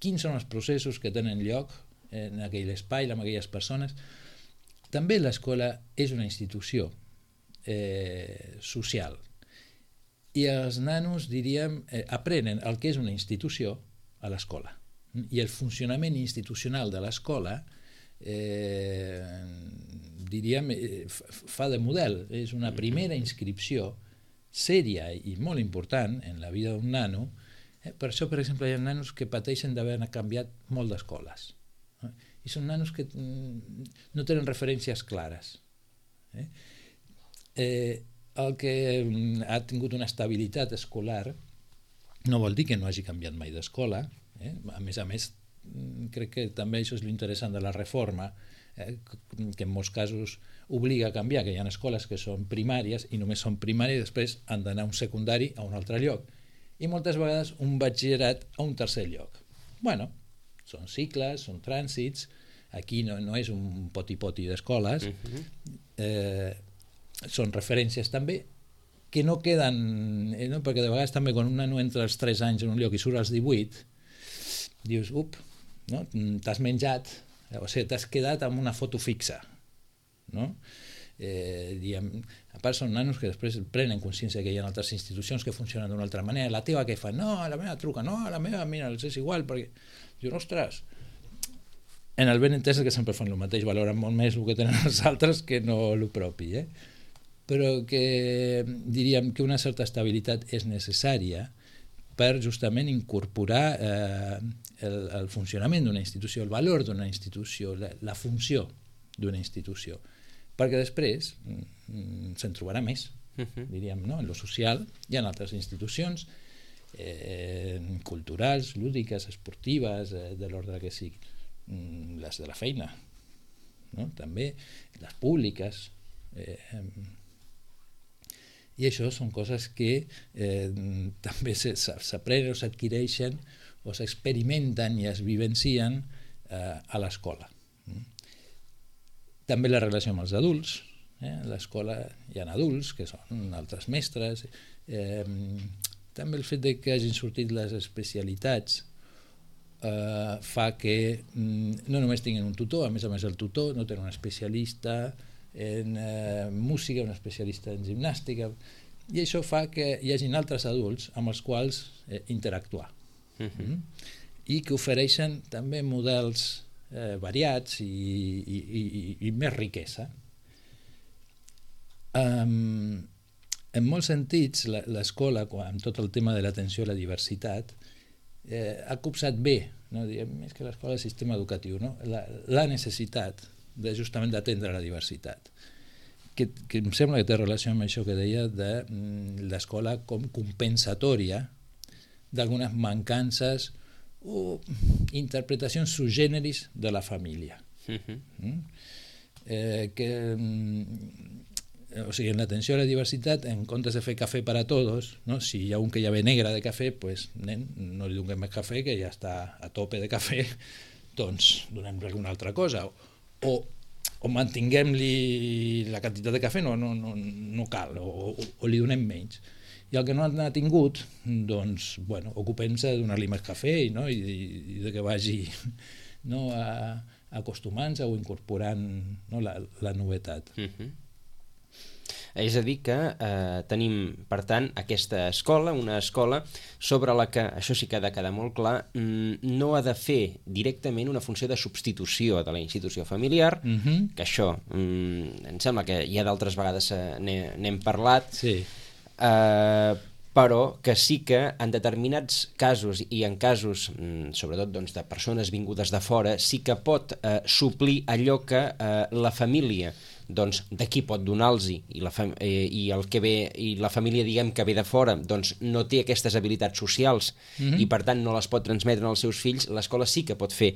Speaker 3: quins són els processos que tenen lloc en aquell espai, amb aquelles persones. També l'escola és una institució Eh, social, i els nanos, diríem, eh, aprenen el que és una institució a l'escola, i el funcionament institucional de l'escola eh, diríem eh, fa de model, és una primera inscripció sèria i molt important en la vida d'un nano. Eh, per això, per exemple, hi ha nanos que pateixen d'haver canviat molt d'escoles, eh? I són nanos que mm, no tenen referències clares, eh? Eh, el que ha tingut una estabilitat escolar no vol dir que no hagi canviat mai d'escola, eh? A més a més crec que també això és l'interessant de la reforma, eh? que en molts casos obliga a canviar, que hi ha escoles que són primàries i només són primàries i després han d'anar a un secundari a un altre lloc, i moltes vegades un batxillerat a un tercer lloc. Bueno, són cicles, són trànsits, aquí no, no és un poti-poti d'escoles, uh-huh. eh, són referències també que no queden, eh, no? Perquè de vegades també quan un nano entra als tres anys en un lloc i surt als divuit, dius, up, no? T'has menjat, o sigui, t'has quedat amb una foto fixa, no? Eh, diguem, a part són nanos que després prenen consciència que hi ha altres institucions que funcionen d'una altra manera. La teva què fa? No, la meva truca, no, la meva, mira, els és igual, perquè dius, ostres, en el ben entès que sempre fan el mateix, valoren molt més el que tenen els altres que no el propi, eh? Però que diríem que una certa estabilitat és necessària per justament incorporar eh, el, el funcionament d'una institució, el valor d'una institució, la, la funció d'una institució, perquè després mm, se'n trobarà més, uh-huh. diríem, no? En lo social hi ha altres institucions eh, culturals, lúdiques, esportives, eh, de l'ordre que sigui, mm, les de la feina, no? També les públiques, eh, i això són coses que eh, també s'aprenen o s'adquireixen o s'experimenten i es vivencien eh, a l'escola. També la relació amb els adults, eh? A l'escola hi ha adults que són altres mestres, eh, també el fet de que hagin sortit les especialitats eh, fa que mm, no només tinguin un tutor, a més a més el tutor no té un especialista en eh, música, un especialista en gimnàstica, i això fa que hi hagin altres adults amb els quals eh, interactuar, uh-huh. mm? I que ofereixen també models eh, variats i, i, i, i més riquesa. Um, en molts sentits l'escola, amb tot el tema de l'atenció a la diversitat, eh, ha copsat bé, no? Diem, és que l'escola és sistema educatiu, no? la, la necessitat de justament d'atendre la diversitat, que, que em sembla que té relació amb això que deia de mm, l'escola com compensatòria d'algunes mancances o interpretacions subgèneris de la família. Uh-huh. mm? eh, que mm, o sigui, en l'atenció a la diversitat, en comptes de fer cafè per a tots, no? Si hi ha un que ja ve negre de cafè, pues, nen, no li donem més cafè, que ja està a tope de cafè, doncs donem-li alguna altra cosa. O, o mantinguem-li la quantitat de cafè, no, no, no, no cal, o, o, o li donem menys. I el que no ha tingut, doncs, bueno, ocupem-se de donar-li més cafè, no? I, i de que vagi, no, a, acostumant-se o incorporant, no, la, la novetat.
Speaker 2: Mm-hmm. És a dir que eh, tenim, per tant, aquesta escola, una escola sobre la que, això sí que ha de quedar molt clar, no ha de fer directament una funció de substitució de la institució familiar, mm-hmm. que això, mm, em sembla que ja d'altres vegades eh, n'hem parlat,
Speaker 3: sí.
Speaker 2: eh, però que sí que en determinats casos i en casos, sobretot doncs, de persones vingudes de fora, sí que pot eh, suplir allò que eh, la família doncs d'aquí pot donar-los i, la fam eh, i el que ve i la família diguem que ve de fora doncs no té aquestes habilitats socials mm-hmm. i per tant no les pot transmetre als seus fills, l'escola sí que pot fer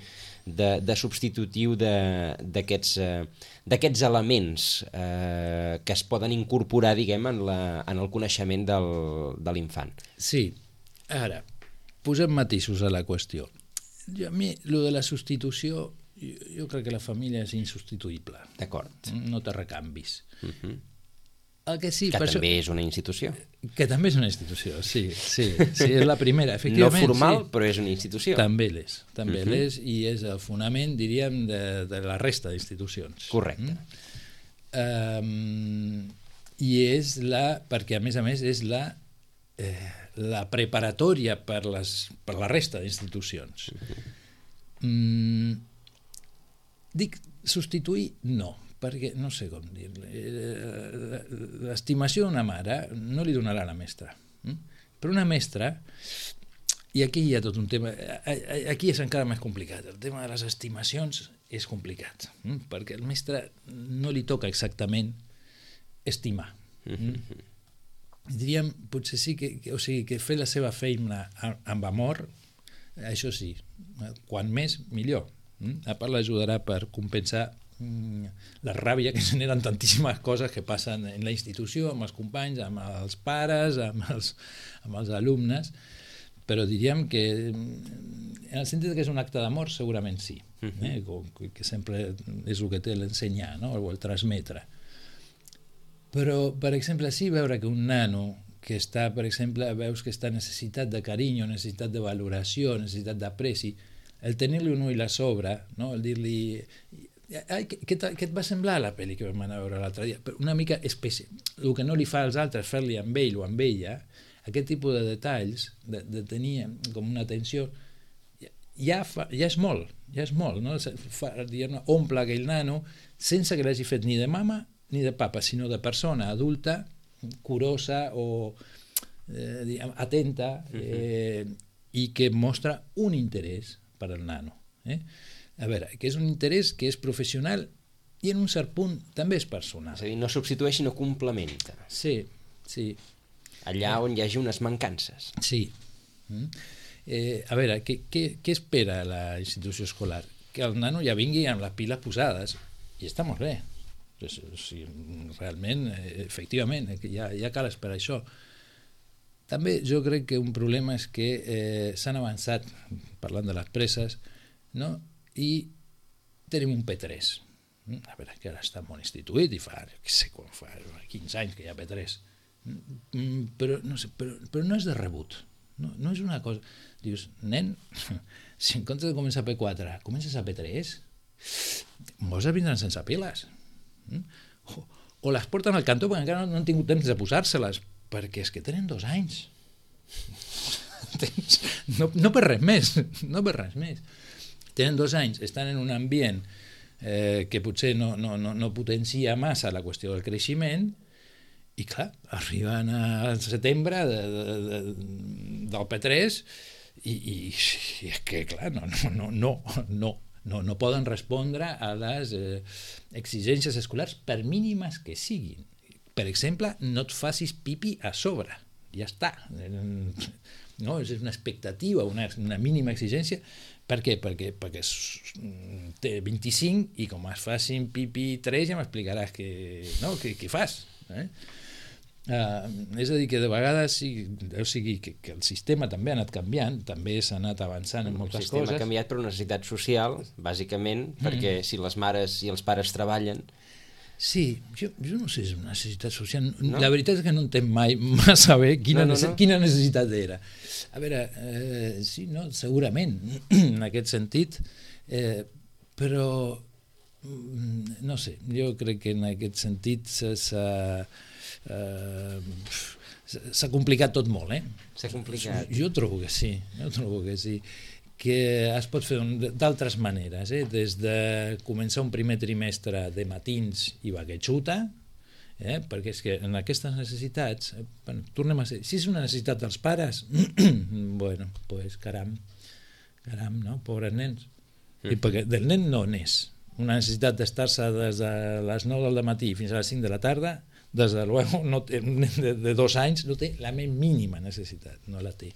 Speaker 2: de, de substitutiu d'aquests eh, d'aquests elements eh, que es poden incorporar diguem en, la, en el coneixement del, de l'infant.
Speaker 3: Sí, ara posem matisos a la qüestió. Jo, a mi, lo de la substitució Jo, jo crec que la família és insubstituïble.
Speaker 2: D'acord.
Speaker 3: No té recanvis.
Speaker 2: Uh-huh.
Speaker 3: El que sí,
Speaker 2: que
Speaker 3: per
Speaker 2: també
Speaker 3: això...
Speaker 2: és una institució.
Speaker 3: Que també és una institució, sí. Sí, sí és la primera, efectivament.
Speaker 2: No formal,
Speaker 3: sí.
Speaker 2: però és una institució.
Speaker 3: També l'és. També
Speaker 2: uh-huh.
Speaker 3: l'és i és el fonament, diríem, de, de la resta d'institucions.
Speaker 2: Correcte.
Speaker 3: Mm? Um, I és la... Perquè, a més a més, és la... Eh, la preparatòria per, les, per la resta d'institucions. Uh-huh. Mm, Dic substituir, no, perquè no sé com dir-li. L'estimació d'una mare no li donarà la mestra. Però una mestra, i aquí hi ha tot un tema, aquí és encara més complicat, el tema de les estimacions és complicat, perquè el mestre no li toca exactament estimar. Diríem, potser sí que, o sigui, que fer la seva feina amb amor, això sí, quan més, millor. A part l'ajudarà per compensar mm, la ràbia que generen tantíssimes coses que passen en la institució, amb els companys, amb els pares, amb els, amb els alumnes, però diríem que en el sentit que és un acte d'amor segurament sí, eh? que sempre és el que té l'ensenyar, no? O el transmetre. Però, per exemple, sí veure que un nano que està, per exemple, veus que està necessitat de carinyo, necessitat de valoració, necessitat d'apreci, el tenir-li un ull a sobre, no? El dir-li ai, què, què, què et va semblar la pel·li que vam anar a veure l'altre dia? Però una mica especial. El que no li fa als altres, fer-li amb ell o amb ella, aquest tipus de detalls, de, de tenir com una atenció, ja, fa, ja és molt, ja és molt, no? Fa, diguem, omple aquell nano sense que l'hagi fet ni de mama ni de papa, sinó de persona adulta, curosa o eh, diguem, atenta, eh, i que mostra un interès per al nano. Eh? A veure, que és un interès que és professional i en un cert punt també és personal.
Speaker 2: És a dir, no substitueix sinó complementa.
Speaker 3: Sí, sí.
Speaker 2: Allà on hi hagi unes mancances. Sí.
Speaker 3: Mm. Eh, a veure, què, què, què espera la institució escolar? Que el nano ja vingui amb les piles posades i està molt bé. O sigui, realment, efectivament, ja, ja cal esperar això. També jo crec que un problema és que eh, s'han avançat, parlant de les presses, no? I tenim un P tres. A veure, que ara està molt instituït i fa, no sé quan fa, quinze anys que hi ha P tres. Però no, sé, però, però no és de rebut. No, no és una cosa... Dius, nen, si en comptes de començar a P quatre, comences a P tres, molts vindran sense piles. O, o les porten al cantó perquè encara no, no han tingut temps de posar-se-les, perquè és que tenen dos anys. No, no per res més, no per res més. Tenen dos anys, estan en un ambient eh, que potser no, no, no, no potencia massa la qüestió del creixement i clar, arriben al setembre de, de, de, del P tres i, i, i és que clar, no, no, no, no, no, no, no poden respondre a les eh, exigències escolars per mínimes que siguin. Per exemple, no et facis pipi a sobre, ja està. No, és una expectativa, una, una mínima exigència. Per què? Perquè, perquè té vint-i-cinc i com es facin pipi tres ja m'explicaràs què, no, què, què fas. Eh? Uh, és a dir, que de vegades sí, o sigui, que, que el sistema també ha anat canviant, també s'ha anat avançant en moltes coses.
Speaker 2: El sistema
Speaker 3: coses.
Speaker 2: ha canviat per una necessitat social, bàsicament, mm. perquè si les mares i els pares treballen...
Speaker 3: Sí, jo, jo no sé si és una necessitat social.
Speaker 2: No?
Speaker 3: La veritat és que no entenc mai massa bé quina,
Speaker 2: no, no, no.
Speaker 3: quina necessitat era. A veure, eh, sí, no, segurament, en aquest sentit, eh, però no sé, jo crec que en aquest sentit s'ha... Uh, s'ha complicat tot molt, eh?
Speaker 2: S'ha complicat.
Speaker 3: Jo trobo que sí, jo trobo que sí, que es pot fer d'altres maneres, eh? Des de començar un primer trimestre de matins i va que xuta, eh? Perquè és que en aquestes necessitats, eh, bueno, tornem a ser, si és una necessitat dels pares, bueno, pues caram, caram, no? Pobres nens. Mm. I perquè del nen no n'és. Una necessitat d'estar-se des de les nou del matí fins a les cinc de la tarda, des de luego, no té, de, de dos anys no té la més mínima necessitat, no la té.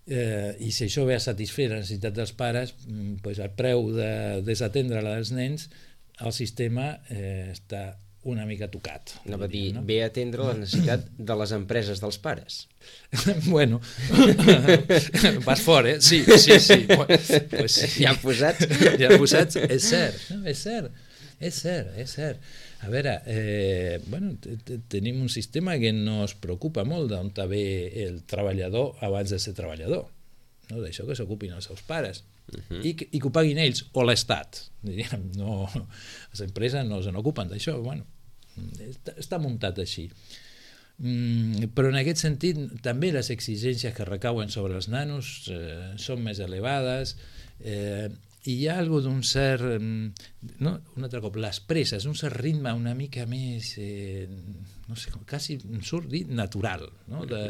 Speaker 3: Eh, I si això ve a satisfer la necessitat dels pares, pues el preu de desatendre la dels nens, el sistema eh, està una mica tocat.
Speaker 2: No va dir,
Speaker 3: no?
Speaker 2: ve a atendre la necessitat de les empreses dels pares.
Speaker 3: Bueno, vas fora, eh? Sí, sí, sí. Pues sí.
Speaker 2: Ja posats.
Speaker 3: Ja posats, és cert, no? És cert, és cert, és cert. A veure, eh, bueno, tenim un sistema que no es preocupa molt d'on ve el treballador abans de ser treballador, no? D'això que s'ocupin els seus pares. Uh-huh. I, que, i que ho paguin ells o l'Estat, diríem, no, les empreses no se n'ocupen d'això, bueno, està, està muntat així. Mm, però en aquest sentit també les exigències que recauen sobre els nanos eh, són més elevades, eh, i hi ha algo d'un cert, no, un altre cop, les presses, un cert ritme una mica més, eh, no sé, quasi surt dir natural, no? De,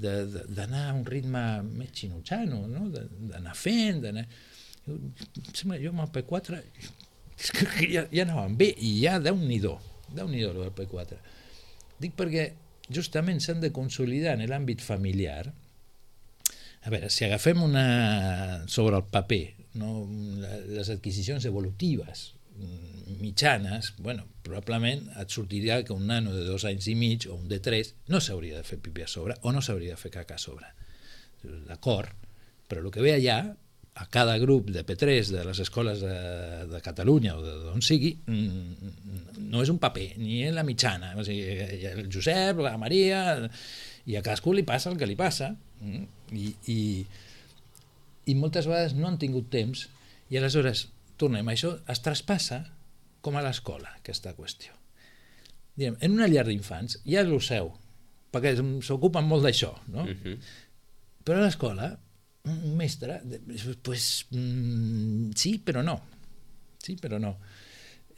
Speaker 3: de, de, d'anar a un ritme més xinutxano, no? D'anar fent, d'anar... Sembla, jo amb el P quatre és que ja, ja anàvem bé, i ja Déu-n'hi-do, Déu-n'hi-do el P quatre. Dic perquè justament s'han de consolidar en l'àmbit familiar. A veure, si agafem una sobre el paper, no, les adquisicions evolutives mitjanes, bueno, probablement et sortiria que un nano de dos anys i mig o un de tres no s'hauria de fer pipí a sobre o no s'hauria de fer caca a sobre. D'acord, però el que ve allà, a cada grup de P tres de les escoles de, de Catalunya o d'on sigui, no és un paper, ni és la mitjana. O sigui, el Josep, la Maria, i a cadascú li passa el que li passa, i, i i moltes vegades no han tingut temps i aleshores, tornem, això es traspassa com a l'escola, aquesta qüestió. Diguem, en una llar d'infants ja ho seu, perquè s'ocupen molt d'això, no? Uh-huh. Però a l'escola, un mestre, pues, mm, sí, però no. Sí, però no.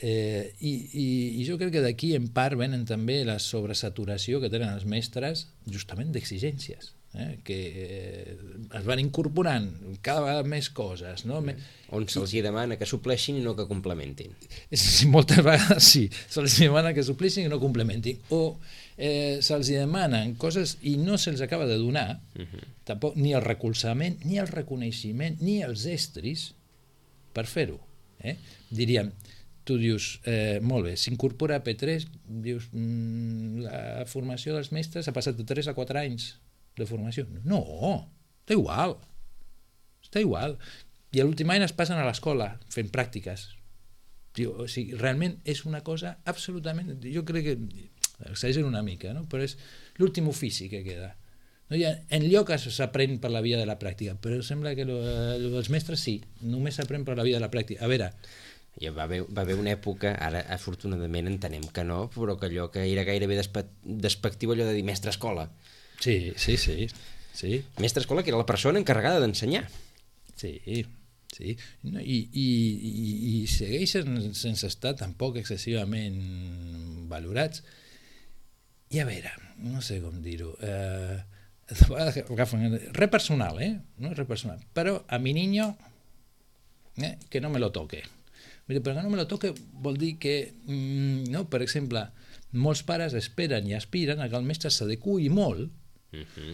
Speaker 3: Eh, i, i, I jo crec que d'aquí en part venen també la sobresaturació que tenen els mestres justament d'exigències. Eh, que eh, es van incorporant cada vegada més coses, no?
Speaker 2: On se'ls hi demana que supleixin i no que complementin.
Speaker 3: Sí, moltes vegades sí, se'ls demana que supleixin i no complementin, o eh, se'ls demanen coses i no se'ls acaba de donar, uh-huh. tampoc, ni el recolzament, ni el reconeixement, ni els estris per fer-ho. Eh? Diríem, tu dius, eh, molt bé, s'incorpora a P tres, dius, mm, la formació dels mestres ha passat de tres a quatre anys de formació. No, està igual. Està igual. I a l'últim any es passen a l'escola fent pràctiques. O sigui, realment és una cosa absolutament... Jo crec que... exagero una mica, no? Però és l'últim ofici que queda. No hi ha, en lloc s'aprèn per la via de la pràctica, però sembla que lo, lo dels mestres sí, només s'aprèn per la via de la pràctica. A veure...
Speaker 2: Ja va haver, va haver una època, ara afortunadament entenem que no, però que allò que era gairebé despe despectiu, allò de dir mestre escola.
Speaker 3: Sí, sí, sí, sí.
Speaker 2: Mestre escola, que era la persona encarregada d'ensenyar.
Speaker 3: Sí, sí. No, i, i, i, i segueixen sense estar tampoc excessivament valorats. I a veure, no sé com dir-ho, eh, re personal, eh? No re personal. Però a mi niño, eh, que no me lo toque. Però que no me lo toque vol dir que, mm, no, per exemple, molts pares esperen i aspiren a que el mestre s'adequi molt uh-huh.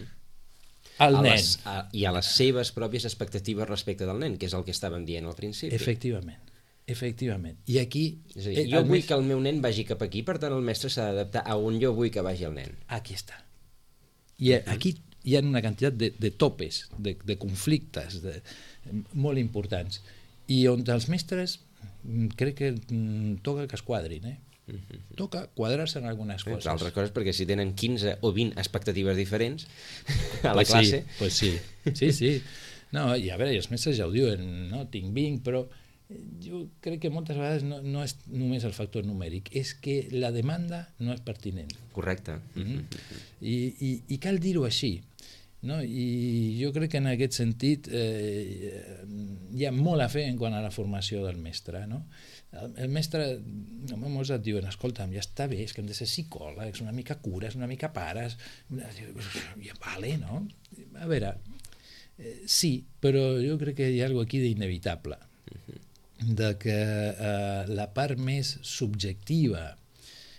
Speaker 3: al
Speaker 2: a
Speaker 3: nen.
Speaker 2: Les, a, I a les seves pròpies expectatives respecte del nen, que és el que estàvem dient al principi.
Speaker 3: Efectivament. Efectivament. I aquí...
Speaker 2: És a dir, jo vull que el meu nen vagi cap aquí, per tant el mestre s'ha d'adaptar a on jo vull que vagi el nen.
Speaker 3: Aquí està. I aquí hi ha una quantitat de, de topes, de, de conflictes de, molt importants, i on els mestres crec que toca que es quadrin, eh? Uh-huh. Toca quadrar-se en algunes coses.
Speaker 2: Altres coses, perquè si tenen quinze o vint expectatives diferents a la
Speaker 3: pues
Speaker 2: classe...
Speaker 3: Sí, pues sí, sí, sí. No, i a veure, i els mestres ja ho diuen, no? Tinc vinc, però jo crec que moltes vegades no, no és només el factor numèric, és que la demanda no és pertinent.
Speaker 2: Correcte.
Speaker 3: Mm-hmm. I, i, i cal dir-ho així, no? I jo crec que en aquest sentit eh, hi ha molt a fer en quant a la formació del mestre, no? El, el mestre, molts et diuen, escolta'm, ja està bé, és que hem de ser psicòlegs, una mica cures, una mica pares, ja vale, no? A veure, eh, sí, però jo crec que hi ha alguna cosa aquí d'inevitable, de que eh, la part més subjectiva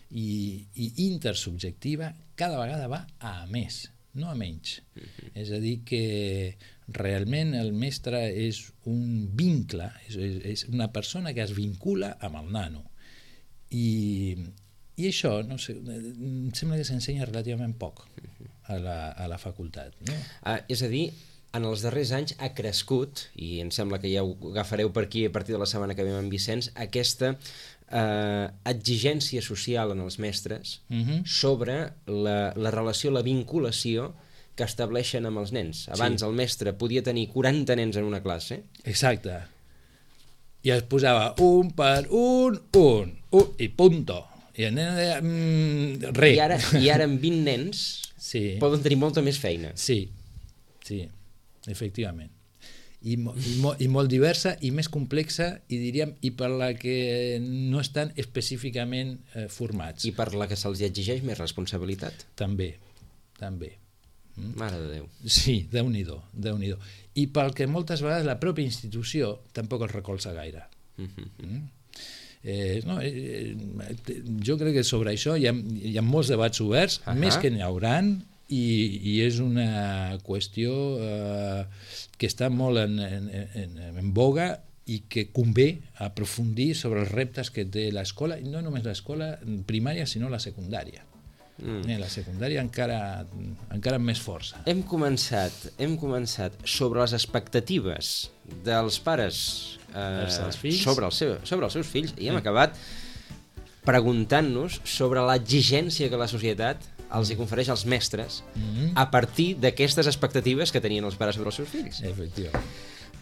Speaker 3: i, i intersubjectiva cada vegada va a més, no a menys. Uh-huh. És a dir, que realment el mestre és un vincle, és, és una persona que es vincula amb el nano. I, i això, no sé, em sembla que s'ensenya relativament poc a la, a la facultat. No?
Speaker 2: Ah, és a dir, en els darrers anys ha crescut, i em sembla que ja ho agafareu per aquí a partir de la setmana que ve amb en Vicenç, aquesta eh, exigència social en els mestres uh-huh. sobre la, la relació, la vinculació que estableixen amb els nens. Abans sí. El mestre podia tenir quaranta nens en una classe.
Speaker 3: Exacte. I es posava un per un, un, un, i punto. I el nen deia, mm, re.
Speaker 2: I ara, i ara amb vint nens sí. Poden tenir molta més feina.
Speaker 3: Sí, sí. Efectivament. I, mo, i, mo, I molt diversa i més complexa i diríem i per la que no estan específicament eh, formats.
Speaker 2: I per la que se'ls exigeix més responsabilitat.
Speaker 3: També, també.
Speaker 2: Mm? Mare de Déu.
Speaker 3: Sí, Déu-n'hi-do, Déu-n'hi-do. I pel que moltes vegades la pròpia institució tampoc els recolza gaire. Mm-hmm. Mm? Eh, no, eh, jo crec que sobre això hi ha, hi ha molts debats oberts, uh-huh. més que n'hi hauran, I, i és una qüestió eh, que està molt en, en, en, en boga i que convé aprofundir sobre els reptes que té l'escola, i no només l'escola primària, sinó la secundària. Mm. Eh, la secundària encara, encara amb més força.
Speaker 2: Hem començat, hem començat sobre les expectatives dels pares eh, sobre, el seu, sobre els seus fills i hem mm. acabat preguntant-nos sobre l'exigència que la societat els hi confereix als mestres mm-hmm. a partir d'aquestes expectatives que tenien els pares sobre els seus fills.
Speaker 3: Efectivament.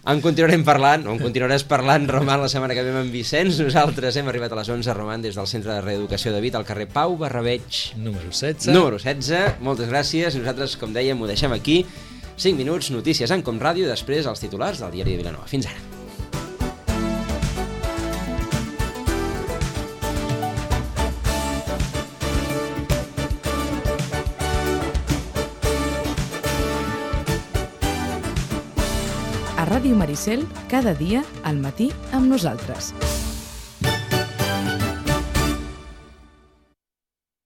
Speaker 2: En continuarem parlant, o en continuaràs parlant, Roman, la setmana que ve amb Vicenç. Nosaltres hem arribat a les onze, Roman, des del Centre de Reeducació de Vic, al carrer Pau Barrabeig.
Speaker 3: Número setze.
Speaker 2: Número setze. Moltes gràcies. Nosaltres, com dèiem, ho deixem aquí. cinc minuts, notícies en Com Ràdio, després els titulars del Diari de Vilanova. Fins ara.
Speaker 1: A Ràdio Maricel, cada dia al matí amb nosaltres.